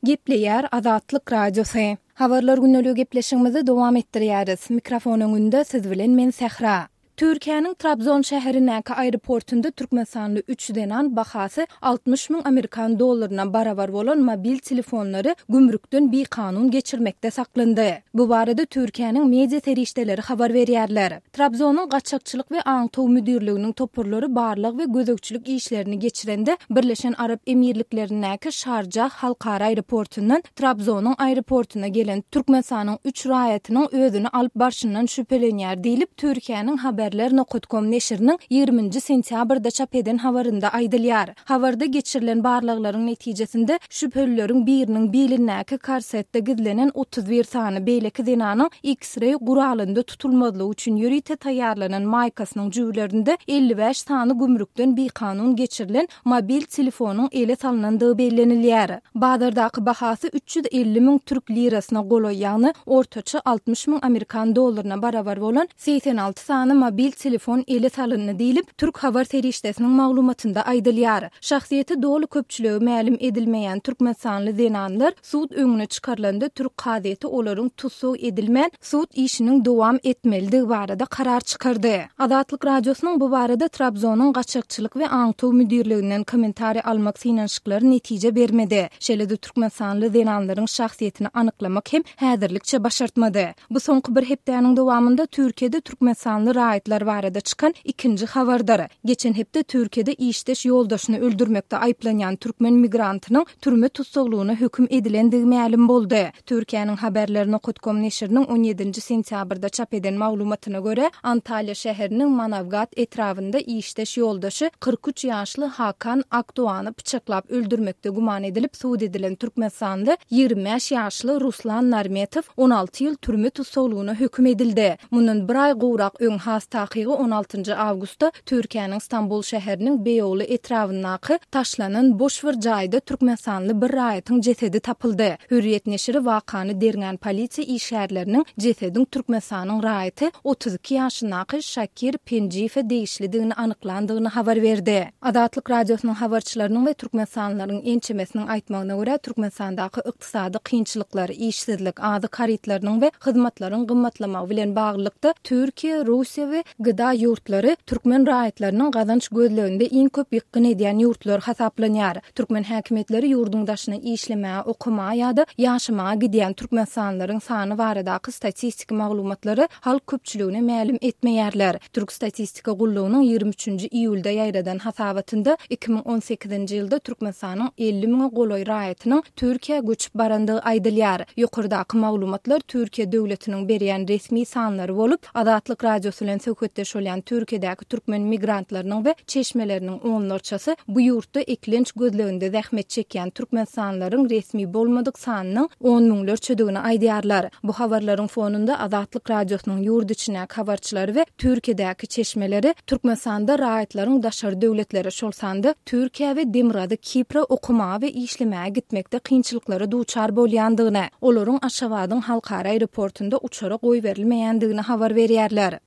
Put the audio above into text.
Gepleýär Azatlyk Radiosy. Habarlar gündeligi gepleşigimizi dowam etdirýäris. Mikrofon öňünde siz bilen men Sähra. Türkiýäniň Trabzon şäherindäki aeroportunda türkmenistanly üç zenan bahasy 60 müň amerikan dollaryna barabar bolan mobil telefonlary gümrükden bikanun geçirmekde saklandy. Bu barada Türkiýäniň media serişdeleri habar berýärler. Trabzonyň gaçakçylyk we aňtaw müdirliginiň toparlary barlag we gözegçilik işlerini geçirende Birleşen Arap Emirliklerindäki Şarjah halkara aeroportundan Trabzonyň aeroportuna gelen Türkmenistanyň üç raýatynyň özüni alyp barşyndan şübhelenýär diýlip, Türkiýäniň Haberler nokat kom neşiriniň ýigriminji sentýabrda çap eden habarynda aýdylýar. Habarda geçirilen barlaglaryň netijesinde şübhelileriň biriniň bilindäki korsetde gizlenen 31 sany beýleki zenanyň X-reý guralynda tutulmazlygy üçin ýörite taýýarlanan maýkasynyň jübülerinde 55 sany gümrükden bikanun geçirilen mobil telefonyň ele salnandygy bellenilýär. Bazardaky bahasy 350 müň türk lirasyna golaý, ýagny ortaça 60 müň amerikan dollaryna barabar bolan 86 sany mobil telefon ele salyndy diýlip, türk habar serişdesiniň maglumatynda aýdylýar. Şahsyýeti doly köpçülige mälim edilmeýän türkmenistanly zenanlar sud öňüne çykarylanda türk kazyýeti olaryň tussag edilmän, sud işiniň dowam etmelidigi barada karar çykardy. Azatlyk Radiosynyň bu barada Trabzonyň gaçakçylyk we aňtaw müdirliginden kommentariý almak synanyşyklary netije bermedi. Şeýle-de türkmenistanly zenanlaryň şahsyýetini anyklamak hem häzirlikçe başartmady. Bu soňky bir hepdäniň dowamynda Türkiýede türkmenistanly raýatlar barada çykan ikinji habardyr. Geçen hepde Türkiýede işdeş ýoldaşyny öldürmekde aýyplanýan türkmen migrantynyň türme tussaglygyna höküm edilendigi mälim boldy. Türkiýäniň Haberler nokat kom neşiriniň on ýedinji sentýabrda çap eden maglumatyna görä, Antalýa şäheriniň Manawgat etrabynda işdeş ýoldaşy 43 ýaşly Hakan Akdoany pyçaklap öldürmekde güman edilip sud edilen türkmenistanly 25 ýaşly Ruslan Narmetow 16 ýyl türme tussaglygyna höküm edildi. Mundan bir aý gowrak öň, has takygy on altynjy awgustda Türkiýäniň Stambul şäheriniň Beýogly etrabyndaky taşlanan boş bir jaýda türkmenistanly bir raýatyň jesedi tapyldy. Hürriýet neşiri wakany derňän polisiýa işgärleriniň jesediň Türkmenistanyň raýaty, 32 ýaşyndaky Şakir Penjiýewe degişlidigini anyklandygyny habar berdi. Azatlyk Radiosynyň habarçylarynyň we türkmenistanlylaryň ençemesiniň aýtmagyna görä, Türkmenistandaky ykdysady kynçylyklar, işsizlik, azyk harytlarynyň we hyzmatlaryň gymmatlamagy bilen baglylykda, Türkiýe, Russiýa we GDA ýurtlary türkmen raýatlarynyň gazanç gözleginde iň köp ýykgyn edýän ýurtlar hasaplanýar. Türkmen häkimiýetleri ýurduň daşyna işlemäge, okamaga ýa-da ýaşamaga gidýän türkmenistanlylaryň sany baradaky statistiki maglumatlary halk köpçüligine mälim etmeýärler. Türk statistika gullugynyň 23 nji iýulda ýaýradan hasabatynda 2018-nji ýylda Türkmenistanyň 50 müňe golaý raýatynyň Türkiýä göçüp barandygy aýdylýar. Ýokardaky maglumatlar Türkiýe döwletiniň berýän resmi sanlary bolup, Azatlyk Radiosy bilen söhbetdeş bolýan Türkiýedäki türkmen migrantlarynyň we çeşmeleriniň onlarçasy bu ýurtda eklenç gözleginde zähmet çekýän türkmenistanlylaryň resmi bolmadyk sanynyň on müňlerçedigini aýdýarlar. Bu habarlaryň fonunda Azatlyk Radiosynyň ýurt içindäki habarçylary we Türkiýedäki çeşmeleri Türkmenistanda raýatlaryň daşary döwletlere, şol sanda Türkiýä we Demirgazyk Kipre okamaga we işlemäge gitmekde kynçylyklara duçar bolýandygyny, olaryň Aşgabadyň halkara aeroportunda uçara goýberilmeýändigini habar berýärler.